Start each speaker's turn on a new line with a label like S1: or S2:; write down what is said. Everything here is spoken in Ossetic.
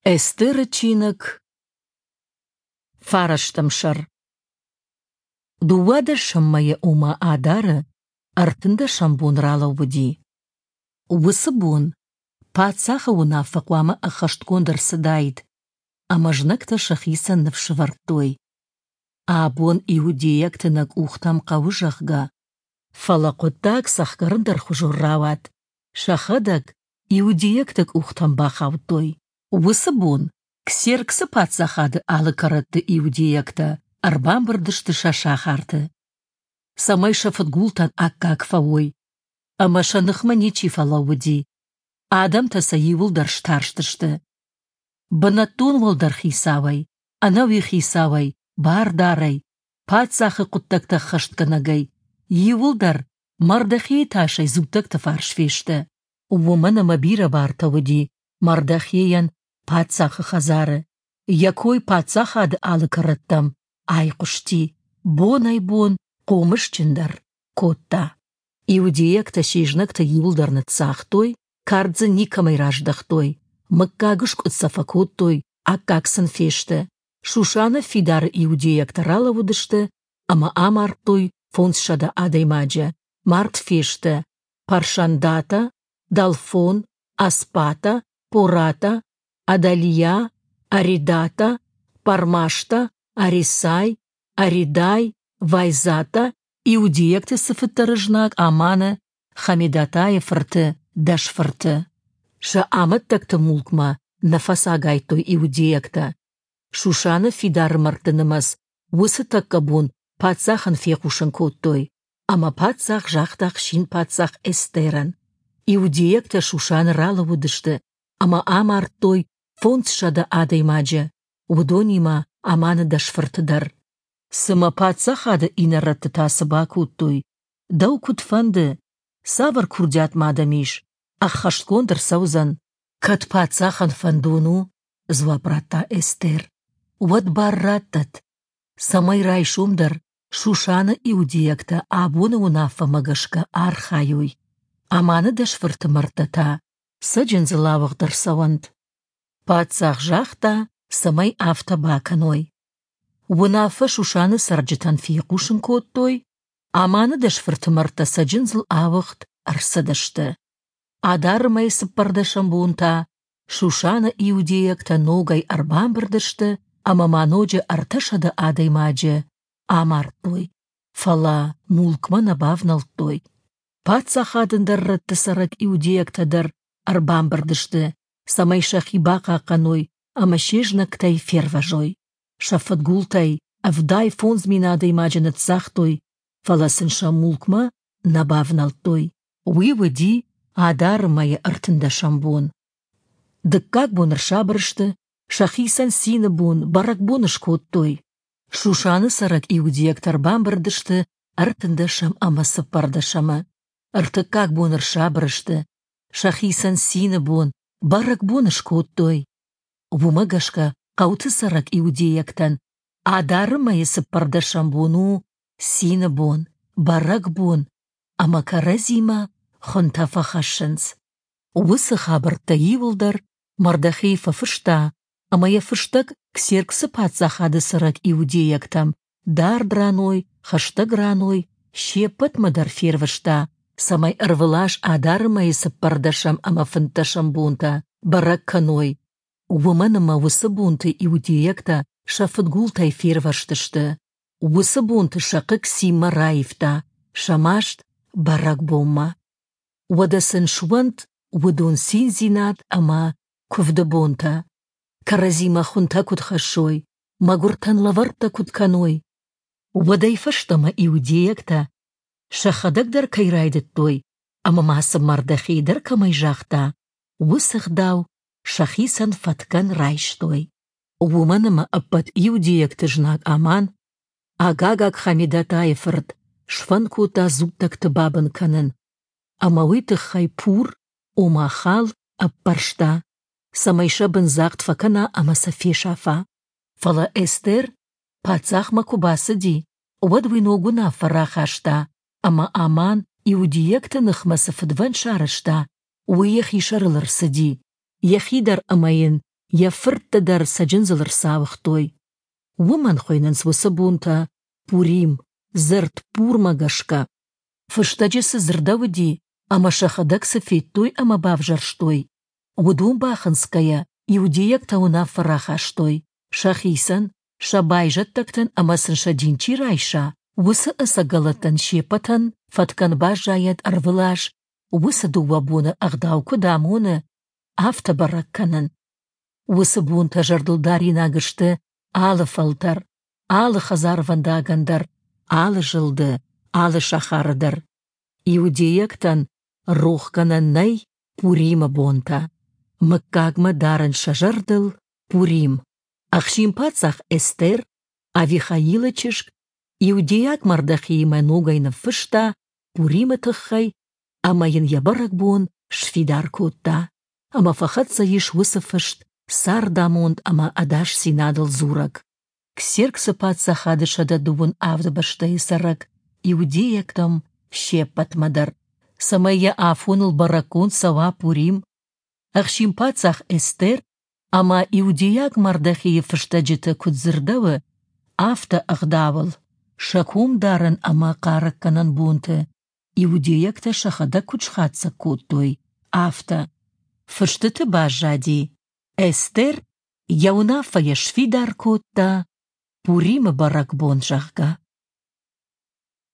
S1: Эстеры чиныг, фарӕстӕм сӕр. Дыууадӕсӕм мӕйы, ома Адары, ӕртындӕсӕм бон ралӕууыди. Уыцы бон паддзахы уынаффӕ хъуамӕ ӕххӕстгонд ӕрцыдаид, ӕмӕ знӕгтӕ сӕхицӕн ныфс ӕвӕрдтой: абон иудейӕгты нӕ къухтӕм хъӕуы, зӕгъгӕ. Фӕлӕ хъуыддаг цӕхгӕр ӕндӕрхуызон рауад, сӕхӕдӕг иудейӕгты къухтӕм бахаудтой. Уыцы бон Ксерксы паддзахады алы кӕрӕтты иудейӕгтӕ ӕрбамбырд сты сӕ сахарты, цӕмӕй сӕ фыдгултӕн аккаг фӕуой, ӕмӕ сӕ ныхмӕ ничи фӕлӕууыди. Адӕмтӕ сӕ иууылдӕр старстысты. Бынӕттон уӕлдӕр хицауӕй, ӕнӕуи хицауӕй, бардарӕй, паддзахы хъуыддӕгтӕ ӕххӕстгӕнӕгӕй, иууылдӕр Мардохейы тасӕй дзуттӕгты фарс фесты. Уымӕн ӕмӕ бирӕ бартӕ уыди Мардохейӕн паддзахы хӕдзары, йӕ кой паддзахады алы кӕрӕттӕм айхъуысти, бонӕй-бон хъомысджындӕр кодта. Иудейӕгтӕ се знӕгты иууылдӕр ныццагътой, кард дзы никӕмӕй раздӕхтой, мыггагыскъуыд сӕ фӕкодтой, аккаг сын фесты. Шушаны фидары иудейӕгтӕ ралӕууыдысты ӕмӕ амардтой 500 адӕймаджы, мард фесты Паршандата, Далфон, Аспата, Пората, Адалия, Аридата, Пармашта, Арисай, Аридай, Вайзата, иудейӕгты цыфыддӕр знаг Аманы, Хамедатайы фырты дӕс фырты. Сӕ амӕттӕгты мулкмӕ нӕ фӕцагайдтой иудейӕгтӕ. Шушаны фидары мӕрдты нымӕц уыцы тӕккӕ бон паддзахӕн фехъусын кодтой. Ӕмӕ паддзах загъта ӕхсин-паддзах Эстерӕн: Иудейӕгтӕ Шушаны ралӕууыдысты ӕмӕ амардтой 500 адӕймаджы, уыдонимӕ Аманы дӕс фырты дӕр. Цымӕ паддзахады иннӕ та цы бакодтой? Дӕу куыд фӕнды, цавӕр курдиат ма дӕм ис, ӕххӕстгонд ӕрцӕудзӕн? Кӕд паддзахӕн фӕндон у, дзуапп радта Эстер, уӕд бар раттӕд, цӕмӕй райсом дӕр Шушаны иудейӕгтӕ абоны уынаффӕмӕ гӕсгӕ архайой. Аманы дӕс фырты мӕрдтӕ та цӕджындзыл ауыгъд ӕрцӕуӕнт. Паддзах загъта, цӕмӕй афтӕ бакӕной. Уынаффӕ Шушаны цӕрджытӕн фехъусын кодтой, Аманы дӕс фырты мӕрдтӕ цӕджындзыл ауыгъд ӕрцыдысты. Адары мӕйы цыппӕрдӕсӕм бон та Шушаны иудейӕгтӕ ногӕй ӕрбамбырд сты ӕмӕ ма ноджы 300 адӕймаджы амардтой, фӕлӕ мулкмӕ нӕ бавнӕлдтой. Паддзахады ӕндӕр рӕтты цӕрӕг иудейӕгтӕ дӕр ӕрбамбырд сты, цӕмӕй сӕхи бахъахъхъӕной ӕмӕ се знӕгтӕй фервӕзой. Сӕ фыдгултӕй 75 000 адӕймаджы ныццагътой, фӕлӕ сын сӕ мулкмӕ нӕ бавнӕлдтой. Уый уыди Адары мӕйы ӕртындӕсӕм бон. Дыккаг бон ӕрсабыр сты, сӕхицӕн цины бон, бӕрӕгбон скодтой. Шушаны цӕрӕг иудейӕгтӕ ӕрбамбырд сты ӕртындӕсӕм ӕмӕ цыппӕрдӕсӕмы. Ӕртыккаг бон ӕрсабыр сты, сӕхицӕн цины бон, бӕрӕгбон скодтой. Уымӕ гӕсгӕ хъӕуты цӕрӕг иудейӕгтӕн Адары мӕйы цыппӕрдӕсӕм бон у цины бон, бӕрӕгбон, ӕмӕ кӕрӕдзимӕ хуынтӕ фӕхӕссынц. Уыцы хабӕрттӕ иууылдӕр Мардохей фӕфыста ӕмӕ йӕ фыстӕг Ксерксы паддзахады цӕрӕг иудейӕгтӕм дард раной, хӕстӕг раной, се ппӕтмӕ дӕр фервыста, цӕмӕй ӕрвылаз Адары мӕйы цыппӕрдӕсӕм ӕмӕ фынддӕсӕм бонтӕ бӕрӕг кӕной, уымӕн ӕмӕ уыцы бонты иудейӕгтӕ сӕ фыдгултӕй фервӕзтысты. Уыцы бонты сӕ хъыг цинмӕ раивта, сӕ маст — бӕрӕгбонмӕ. Уӕдӕ сын суӕнт уыдон циндзинад ӕмӕ куывды бонтӕ, кӕрӕдзимӕ хуынтӕ куыд хӕссой, мӕгуыртӕн лӕвӕрттӕ куыд кӕной. Уӕдӕй фӕстӕмӕ иудейӕгтӕ сӕхӕдӕг дӕр кӕй райдыдтой ӕмӕ ма сын Мардохей дӕр кӕмӕй загъта, уыцы ӕгъдау сӕхицӕн фӕткӕн райстой. Уымӕн ӕмӕ ӕппӕт иудейӕгты знаг Аман, Агагаг Хамедатайы фырт, сфӕнд кодта дзуттӕгты бабын кӕнын, ӕмӕ уый тыххӕй Пур, ома хал, ӕппӕрста, цӕмӕй сӕ бындзагъд фӕкӕна ӕмӕ сӕ фесафа. Фӕлӕ Эстер паддзахмӕ куы бацыди, уӕд уый ног уынаффӕ рахаста, ӕмӕ Аман иудейӕгты ныхмӕ цы фыдвӕнд сарӕзта, уый йӕхи сӕрыл ӕрцыди, йӕхи дӕр ӕмӕ йын йӕ фыртты дӕр цӕджындзыл ӕрцауыгътой. Уымӕн хуыйнынц уыцы бонтӕ Пурим, дзырд Пурмӕ гӕсгӕ. Фыстӕджы цы дзырдӕуыди ӕмӕ сӕхӕдӕг цы федтой ӕмӕ бавзӕрстой, уыдон бахынцгӕйӕ иудейӕгтӕ уынаффӕ рахастой, сӕхицӕн, сӕ байзӕддӕгтӕн ӕмӕ сын сӕ дин чи райса, уыцы ӕцӕгӕлӕттӕн се ппӕтӕн фӕткӕн баззайӕд ӕрвылаз уыцы дыууӕ боны ӕгъдау куыд амоны, афтӕ бӕрӕг кӕнын. Уыцы бонтӕ зӕрдылдаринаг сты алы фӕлтӕр, алы хӕдзарвӕндагӕн дӕр, алы зылды, алы сахары дӕр. Иудейӕгтӕн рохгӕнӕн нӕй Пуримы бонтӕ. Мыггагмӕ дарынц сӕ зӕрдыл Пурим. Ӕхсин-паддзах Эстер, Авихаилы чызг, иудейаг Мардохеимӕ ногӕй ныффыста Пуримы тыххӕй ӕмӕ йын йӕ бӕрӕгбон сфидар кодта. Ӕмӕ фӕхӕццӕ ис уыцы фыст цардамонд ӕмӕ ӕдасдзинадыл дзурӕг. Ксерксы паддзахады 127 бӕстӕйы цӕрӕг иудейӕгтӕм се ппӕтмӕ дӕр, цӕмӕй йӕ афоныл бӕрӕггонд цӕуа Пурим, ӕхсин-паддзах Эстер ӕмӕ иудейаг Мардохейы фыстӕджыты куыд дзырдӕуы, афтӕ ӕгъдауыл, сӕ комдарӕн ӕмӕ хъарӕггӕнӕн бонты иудейӕгтӕ сӕхӕдӕг куыд схатдзӕг кодтой, афтӕ. Фыстыты баззади, Эстер йӕ уынаффӕйӕ сфидар кодта Пуримы бӕрӕгбон, зӕгъгӕ.